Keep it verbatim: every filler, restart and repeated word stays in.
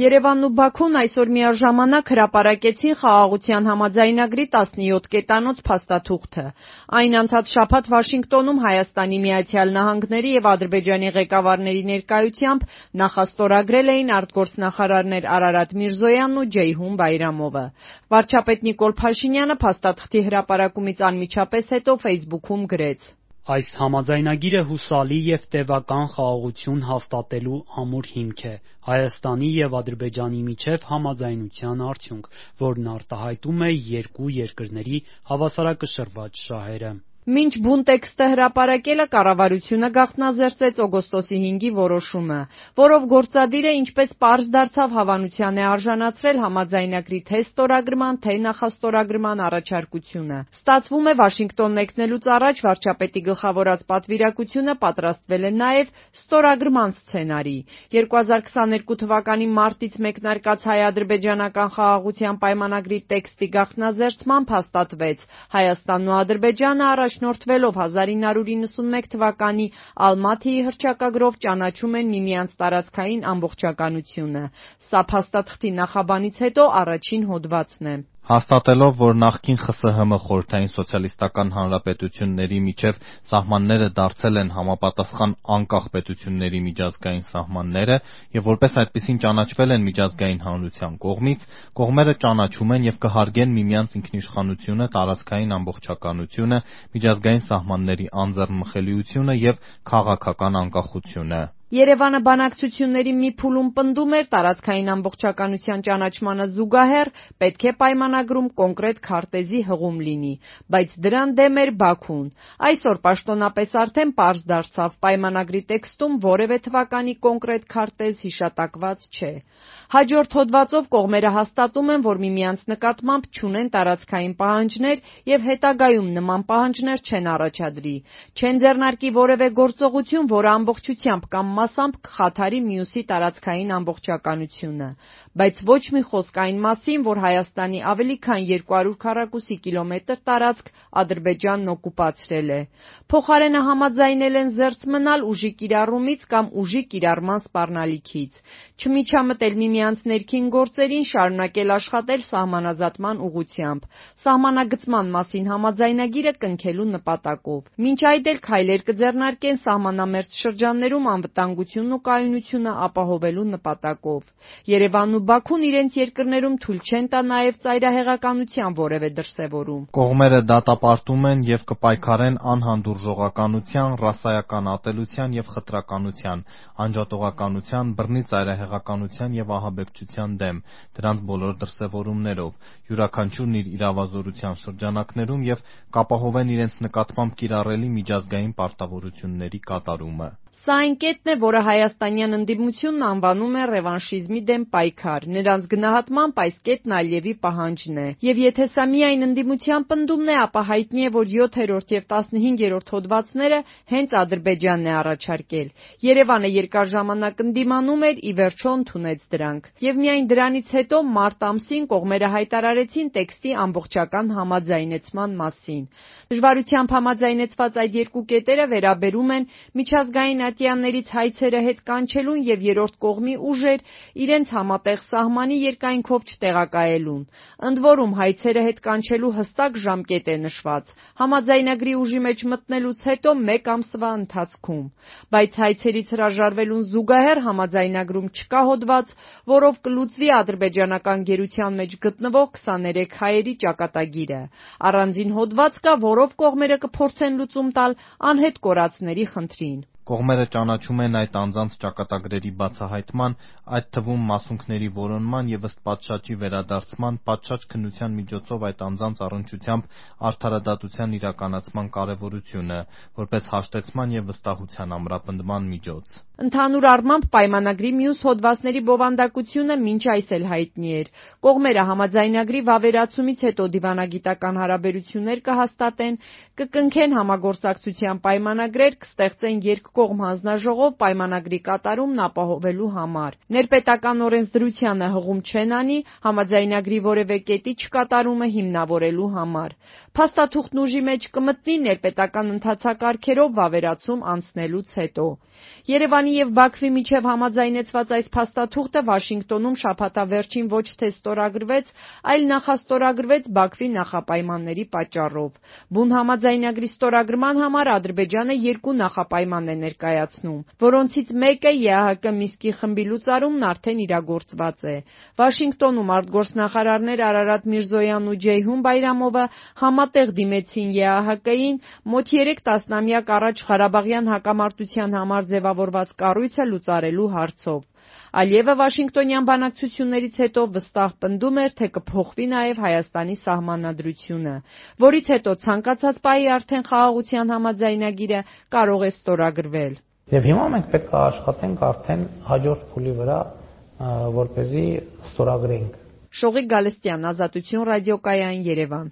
Երևանն ու Բաքուն այսօր միաժամանակ հրապարակեցին խաղաղության համաձայնագրի տասնյոթ կետանոց փաստաթուղթը։ Այն անցած շաբաթ Վաշինգտոնում Հայաստանի Միացյալ Նահանգների և Ադրբեջանի ղեկավարների ներկայությամբ նախաստորագրել էին արտգործնախարարներ Արարատ Միրզոյանն ու Ջեյհուն Բայրամովը։ Վարչապետ Նիկոլ Փաշինյանը փաստաթղթի հրապարակումից անմիջապես հետո ֆեյսբուքում գրեց. Այս համաձայնագիրը հուսալի և տևական խաղաղություն հաստատելու ամուր հիմք է, Հայաստանի և Ադրբեջանի միջև համաձայնության արդյունք, որն արտահայտում է երկու երկրների հավասարակշռված շահերը։ Մինչ բուն տեքստը հրապարակելը կառավարությունը գաղտնազերծեց օգոստոսի հինգի որոշումը, որով գործադիրը ինչպես պարզ դարձավ հավանության է արժանացրել համաձայնագրի թե ստորագրման, թե նախաստորագրման առաջարկությունը։ Ստացվում է Վաշինգտոն մեկնելուց առաջ վարչապետի գլխավորած պատվիրակությունը պատրաստվել է նաև ստորագրման սցենարի։ երկու հազար քսաներկու թվականի մարտից մեկնարկած հայ-ադրբեջանական խաղաղության պայմանագրի տեքստի գաղտնազերծմամբ հաստատվեց Հայաստանն ու Ադրբեջանը առաջնորդվելով հազար ինը հարյուր իննսունմեկ թվականի Ալմաթիի հռչակագրով ճանաչում են միմյանց տարածքային ամբողջականությունը։ Սա փաստաթղթի նախաբանից հետո առաջին հոդվածն է։ Հաստատելով, որ նախկին ԽՍՀՄ Խորհրդային Սոցիալիստական Հանրապետությունների միջև սահմանները դարձել են համապատասխան անկախ պետությունների միջազգային սահմանները և որպես այդպիսին ճանաչվել են միջազգային հանրության կողմից, կողմերը ճանաչում են և կհարգեն միմյանց ինքնիշխանությունը, տարածքային ամբողջականությունը, միջազգային սահմանների անձեռնմխելիությունը և քաղաքական անկախությունը։ Երևանը բանակցությունների մի փուլում պնդում էր տարածքային ամբողջականության ճանաչմանը զուգահեռ պետք է պայմանագրում կոնկրետ քարտեզի հղում լինի, բայց դրան դեմ էր Բաքուն։ Այսօր պաշտոնապես արդեն պարզ դարձավ պայմանագրի տեքստում որևէ թվականի կոնկրետ քարտեզ հիշատակված չէ։ Հաջորդ հոդվածով կողմերը հաստատում են, որ միմյանց նկատմամբ չունեն տարածքային պահանջներ և հետագայում նման պահանջներ չեն առաջադրի, չեն ձեռնարկի որևէ գործողություն, որը ամբողջությամբ կամ մասամբ կխաթարի մյուսի տարածքային ամբողջականությունը, բայց ոչ մի խոսք այն մասին, որ Հայաստանի ավելի քան երկու հարյուր քառակուսի կիլոմետր տարածք Ադրբեջանն օկուպացրել է։ Փոխարենը համաձայնել են զերծ մնալ ուժի կիրառումից կամ ուժի կիրառման սպառնալիքից, չմիջամտել միմյանց ներքին գործերին, շարունակել աշխատել սահմանազատման ուղղությամբ, սահմանագծման մասին համաձայնագիրը կնքելու նպատակով։ Մինչ այդ էլ քայլեր կձեռնարկեն սահմանամերձ շրջաններում անվտանգությունն ու կայունությունը ապահովելու նպատակով։ Երևանն ու Բաքուն իրենց երկրներում թույլ չեն տա նաև ծայրահեղականության որևէ դրսևորում։ Կողմերը դատապարտում են և կպայքարեն անհանդուրժողականության, ռասայական ատելության և խտրականության, անջատողականության, բռնի ծայրահեղականության և ահաբեկչության դեմ, դրանց բոլոր դրսևորումներով, յուրաքանչյուրն իր իրավազորության շրջանակներում և կապահովեն իրենց նկատմամբ կիրառելի միջազգային պարտավորությունների կատարումը։ Սա այն կետն է, որը հայաստանյան ընդդիմությունն անվանում է ռևանշիզմի դեմ պայքար։ Նրանց գնահատմամբ այս կետն Ալիևի պահանջն է։ Եվ եթե սա միայն ընդդիմության պնդումն է, ապա հայտնի է, որ յոթերորդ և տասնհինգերորդ հոդվածները հենց Ադրբեջանն է առաջարկել։ Երևանը երկար ժամանակ ընդդիմանում էր, ի վերջո ընդունեց դրանք։ Եվ միայն դրանից հետո մարտ ամսին կողմերը հայտարարեցին տեքստի ամբողջական համաձայնեցման մասին։ Դժվարությամբ համաձայնեցված այդ երկու կետերը վերաբերում են միջազգային ատյաններից հայցերը հետ կանչելուն և երրորդ կողմի ուժեր իրենց համատեղ սահմանի երկայնքով չտեղակայելուն։ Ընդ որում հայցերը հետ կանչելու հստակ ժամկետ է նշված՝ համաձայնագրի ուժի մեջ մտնելուց հետո մեկ ամսվա ընթացքում։ Բայց հայցերից հրաժարվելուն զուգահեռ համաձայնագրում չկա հոդված, որով կլուծվի ադրբեջանական գերության մեջ գտնվող քսաներեք հայերի ճակատագիրը։ Առանձին հոդված կա, որով կողմերը կփորձեն լուծում տալ անհետ կորածների խնդրին։ Կողմերը ճանաչում են այդ անձանց ճակատագրերի բացահայտման, այդ թվում մասունքների որոնման և ըստ պատշաճի վերադարձման, պատշաճ քննության միջոցով այդ անձանց առնչությամբ արդարադատության իրականացման կարևորությունը, որպես հաշտեցման և վստահության ամրապնդման միջոց։ Ընդհանուր առմամբ պայմանագրի մյուս հոդվածների բովանդակությունը մինչ այս էլ հայտնի էր։ Կողմերը համաձայնագրի վավերացումից հետո դիվանագիտական հարաբերություններ կհաստատեն, կկնքեն համագործակցության պայմանագրեր, կստեղծեն երկկողմ հանձնաժողով պայմանագրի կատարումն ապահովելու համար։ Ներպետական օրենսդրությանը հղում չեն անի համաձայնագրի որևէ կետի չկատարումը հիմնավորելու համար։ Փաստաթուղթն ուժի մեջ կմտնի ներպետական ընթացակարգերով վավերացում անցնելուց հետո։ Երևանի Ադրբեջանի եւ Բաքվի միջև համաձայնեցված այս փաստաթուղթը Վաշինգտոնում շաբաթավերջին ոչ թե ստորագրվեց, այլ նախաստորագրվեց Բաքվի նախապայմանների պատճառով։ Բուն համաձայնագրի ստորագրման համար Ադրբեջանը երկու նախապայման է ներկայացնում, որոնցից մեկը ԵԱՀԿ Մինսկի խմբի լուծարումն արդեն իրագործված է։ Վաշինգտոնում արտգործնախարարներ Արարատ Միրզոյանն ու Ջեյհուն Բայրամովը համատեղ դիմեցին ԵԱՀԿ-ին մոտ երեք տասնամյակ առաջ Ղարաբաղյան հակամարտության համար ձևավորված կառույցը լուծարելու հարցով։ Ալիևը Վաշինգտոնյան բանակցություններից հետո վստահ պնդում էր, թե կփոխվի նաև Հայաստանի սահմանադրությունը, որից հետո ցանկացած պահի արդեն խաղաղության համաձայնագիրը կարող է ստորագրվել։ Եվ հիմա մենք պետք է աշխատենք արդեն հաջորդ փուլի վրա, որպեսզի ստորագրենք։ Շողիկ Գալստյան, Ազատություն ռադիոկայան, Երևան։